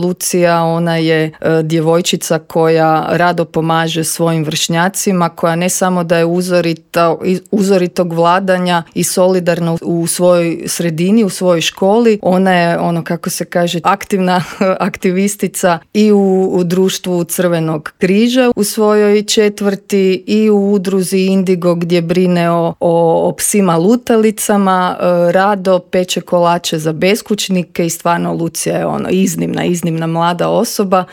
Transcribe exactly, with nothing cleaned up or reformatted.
Lucija, ona je e, djevojčica koja rado pomaže svojim vršnjacima, koja ne samo da je uzorita, uzoritog vladanja i solidarna u svojoj sredini, u svojoj školi, ona je, ono kako se kaže, aktivna aktivistica i u, u društvu Crvenog križa u svojoj četvrti i u udruzi Indigo gdje brine o, o, o psima lutalicama, e, rado peče kolače za beskućnike i stvarno Lucija je ono iznimna, iznimna mlada osoba